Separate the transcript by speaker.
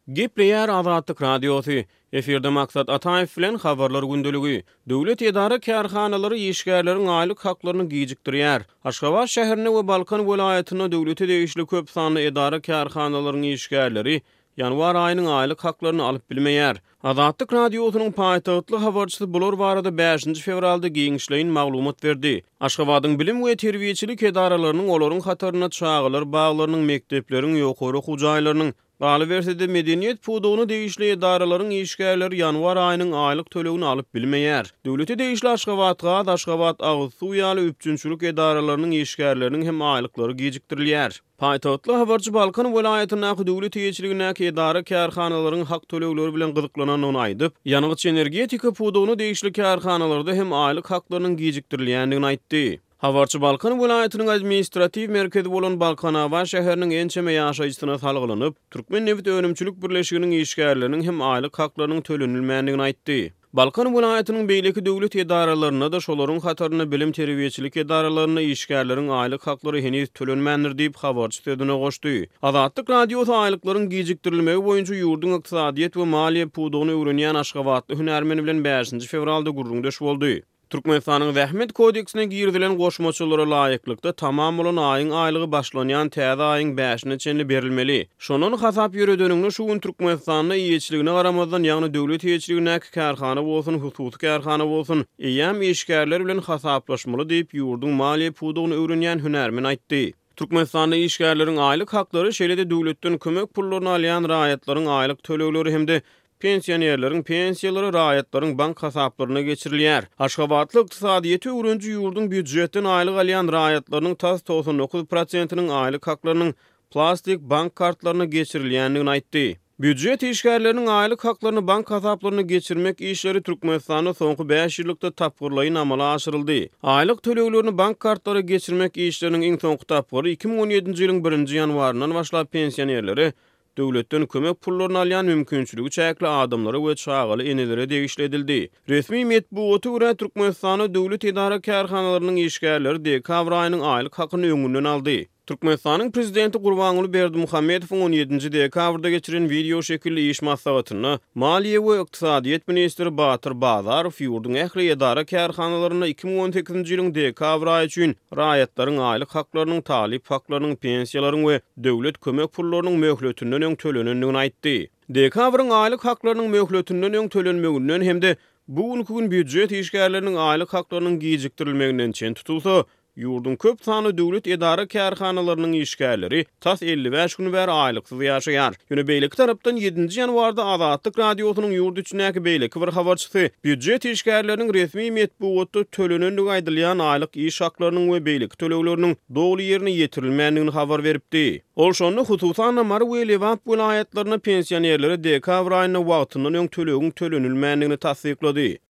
Speaker 1: Gepleýär Azatlyk Radiosy. Efirde Maksat Ataýew bilen Habarlar gündeligi. Döwlet edara-kärhanalary işgärleriň aýlyk haklaryny gijikdirýär. Aşgabat şäherinde we Balkan welaýatynda döwlete degişli köp sanly edara-kärhanalaryň işgärleri ýanwar aýynyň aýlyk haklaryny alyp bilmeýär. Azatlyk Radiosynyň paýtagtly habarçysy bular barada bäşinji fewralda giňişleýin maglumat berdi. Aşgabadyň bilim we terbiýeçilik edaralarynyň, olaryň hatarynda çagalar baglarynyň, mekdepleriň, ýokary okuw jaýlarynyň, Galyberse-de, medeniýet pudagyna degişli edaralaryň işgärleri ýanwar aýynyň aýlyk tölegini alyp bilmeýär. Döwlete degişli Aşgabatgaz, Aşgabat agyz suw ýaly üpjünçilik edaralarynyň işgärleriniň hem aýlyklary gijikdirilýär. Paýtagtly habarçy Balkan welaýatyndaky döwlet eýeçiligindäki edara-kärhanalaryň hak tölegleri bilen gyzyklanandygyny aýdyp, ýangyç-energetika pudagyna degişli kärhanalarda hem aýlyk haklarynyň gijikdirilýändigini aýtdy. Habarçy Balkan welaýatynyň administratiw merkezi bolan Balkanabat şäheriniň ençeme ýaşaýjysyna salgylanyp, Türkmennebit önümçilik birleşiginiň işgärleriniň hem aýlyk haklarynyň tölenilmändigini aýtdy. Balkan welaýatynyň beýleki döwlet edaralarynda-da, şolaryň hatarynda bilim-terbiýeçilik edaralarynda işgärleriň aýlyk haklary heniz tölenmändir diýip, habarçy sözüne goşdy. Azatlyk Radiosy aýlyklaryň gijikdirilmegi boýunça ýurduň ykdysadyýet we maliýe pudagyny öwrenýän aşgabatly hünärmen bilen bäşinji fewralda gürrüňdeş boldy. Türkmenistanyň Zähmet kodeksine girizilen goşmaçalara laýyklykda, tamam bolan aýyň aýlygy başlanýan täze aýyň bäşine çenli berilmeli. Şondan hasap ýöredeniňde, şu gün Türkmenistanda eýeçiligine garamazdan, ýagny döwlet eýeçiligindäki kärhana bolsun, hususy kärhana bolsun, eýýäm işgärler bilen hasaplaşmaly diýip, ýurduň maliýe pudagyny öwrenýän hünärmen aýtdy. Türkmenistanda işgärleriň aýlyk haklary, şeýle-de döwletden kömek pullaryny alýan raýatlaryň aýlyk tölegleri hem-de pensionerleriň pensiýalary raýatlaryň bank hasaplaryna geçirilýär. Aşgabatly ykdysadyýeti öwreniji ýurduň býujetden aýlyk alýan raýatlarynyň tas 99 prosentiniň aýlyk haklarynyň plastik bank kartlaryna geçirilýändigini aýtdy. Býujet işgärleriniň aýlyk haklaryny bank hasaplaryna geçirmek işleri Türkmenistanda soňky bäş ýyllykda tapgyrlaýyn amala aşyryldy. Aýlyk töleglerini bank kartlara geçirmek işleriniň iň soňky tapgyry 2017-nji ýylyň birinji ýanwaryndan başlap pensionerlere döwletden kömek pullaryny alýan mümkinçiligi çäkli adamlara we çagaly enelere degişli edildi. Resmi metbugata görä, Türkmenistanda döwlet edara-kärhanalarynyň işgärleri dekabr aýynyň aýlyk hakyny öňünden aldy. Türkmenistanyň Prezidenti Gurbanguly Berdimuhamedowyň on ýedinji dekabrda geçiren wideo şekilli iş maslahatynda maliýe we ykdysadyýet ministri Batyr Bazarow ýurduň ähli edara-kärhanalarynda 2018-nji ýylyň dekabr aýy üçin raýatlaryň aýlyk haklarynyň, talyp haklarynyň, pensiýalaryň we döwlet kömek pullarynyň möhletinden öň tölenendigini aýtdy. Dekabryň aýlyk haklarynyň möhletinden öň tölenmeginden hem-de bu günki gün býujet işgärleriniň aýlyk haklarynyň gijikdirilmeginden çen tutulsa, Ýurduň köp sanly döwlet edara-kärhanalarynyň işgärleri tas 55 gün bäri aýlyksyz ýaşaýar. Ýöne beýleki tarapdan, ýedinji ýanwarda Azatlyk Radiosynyň ýurt içindäki beýleki bir habarçysy býujet işgärleriniň resmi metbugatda tölenendigi aýdylýan aýlyk iş haklarynyň we beýleki tölegleriniň doly ýerine ýetirilmändigini habar beripdi. Ol şonda, hususan-da, Mary we Lebap welaýatlarynda pensionerlere dekabr aýynda wagtyndan öň tölegiň tölenilmändigini tassyklady.